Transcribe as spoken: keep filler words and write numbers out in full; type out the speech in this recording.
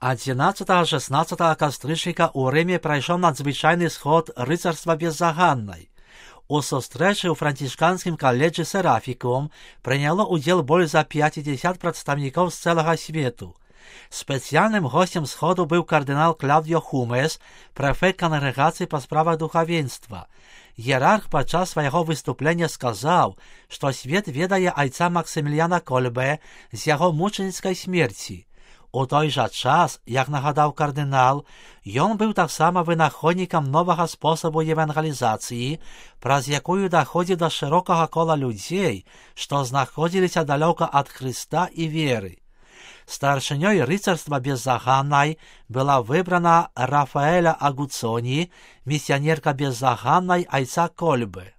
одиннадцатого-шестнадцатого кастрычніка ў Рыме прайшоў надзвычайны сход рыцарства беззаганнай. У сустрэчы ў францішканскім каледжы Серафікум прыняло ўдзел больш за пяцьдзясят прадстаўнікоў з цэлага свету. Спецыяльным госцем сходу быў кардынал Клаўдіо Хумес, прэфект кангрэгацыі па справах духавенства. Іерарх падчас свайго выступлення сказаў, што свет ведае айца Максіміліяна Кольбе з яго мучаніцкай смерці. У той жа час, як нагадаў кардынал, ён быў таксама вынаходнікам новага спосабу евангелізацыі, праз якую даходзіў да шырокага кола людзей, што знаходзіліся далёка ад Хрыста і веры. Старшынёй рыцарства беззаганнай была выбрана Рафаэля Агуцоні, місіянерка беззаганнай айца Кольбе.